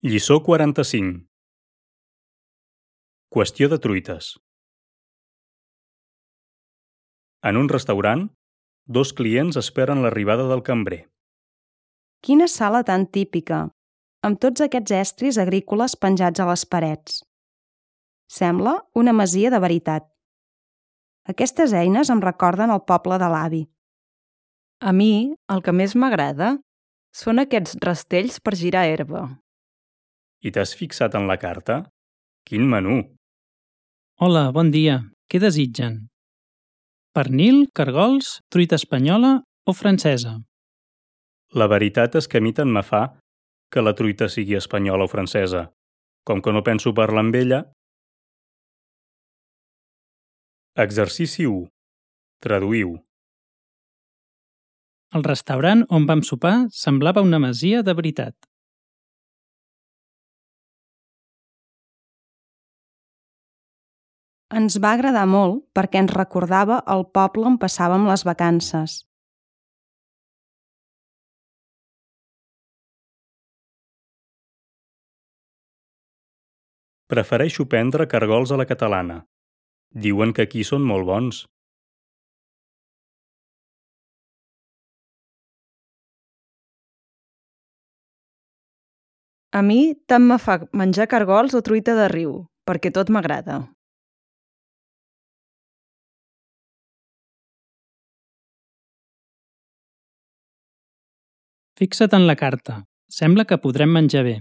Lliçó 45. Qüestió de truites. En un restaurant, dos clients esperen l'arribada del cambrer. Quina sala tan típica, amb tots aquests estris agrícoles penjats a les parets. Sembla una masia de veritat. Aquestes eines em recorden el poble de l'avi. A mi, el que més m'agrada són aquests rastells per girar herba. I t'has fixat en la carta? Quin menú! Hola, bon dia. Què desitgen? Pernil, cargols, truita espanyola o francesa? La veritat és que a mi tant me fa que la truita sigui espanyola o francesa. Com que no penso parlar amb ella... Exercici 1. Traduïu. El restaurant on vam sopar semblava una masia de veritat. Ens va agradar molt perquè ens recordava el poble on passàvem les vacances. Prefereixo prendre cargols a la catalana. Diuen que aquí són molt bons. A mi tant me fa menjar cargols o truita de riu, perquè tot m'agrada. Fixa't en la carta. Sembla que podrem menjar bé.